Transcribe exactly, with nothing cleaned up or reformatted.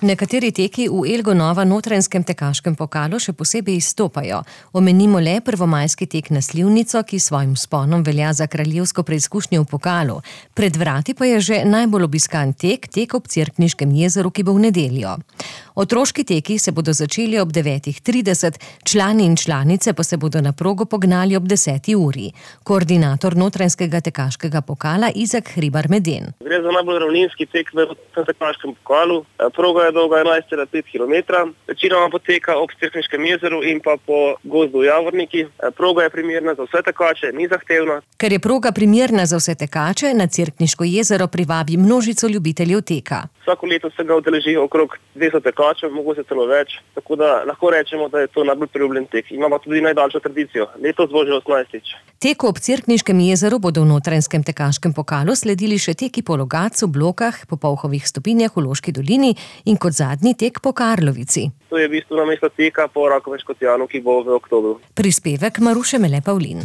Nekateri teki v Elgo Nova Notranjskem tekaškem pokalu še posebej izstopajo. Omenimo le prvomajski tek na Slivnico, ki s svojim vzponom velja za kraljevsko preizkušnjo v pokalu. Pred vrati pa je že najbolj obiskan tek, tek ob Cerkniškem jezeru, ki bo v nedeljo. Otroški teki se bodo začeli ob devetih trideset, člani in članice pa se bodo na progo pognali ob deseti uri. Koordinator Notranjskega tekaškega pokala Izak Hribar-Meden. Gre za najbolj ravninski tek v tekaškem pokalu. Proga je dolga enajst celih pet kilometra. Večinoma poteka ob Cerkniškem jezeru in pa po gozdu Javorniki. Proga je primerna za vse tekače, ni zahtevna. Ker je proga primerna za vse tekače, na Cerkniško jezero privabi množico ljubiteljev teka. Vsako leto se ga udeleži okrog dvesto tekačev, mogoče celo več, tako da lahko rečemo, da je to najbolj priljubljen tek. Imamo tudi najdaljšo tradicijo. Letos bo že osemnajstič. Teku ob Cerkniškem jezeru bodo v Notranjskem tekaškem pokalu sledili še teki po Logatcu, Blokah, po Polhovih stopinjah v Loški dolini in kot zadnji tek po Karlovici. To je v bistvu namesto teka po Rakovem Škocjanu, ki bo v oktobru. Prispevek Maruše Mele Pavlin.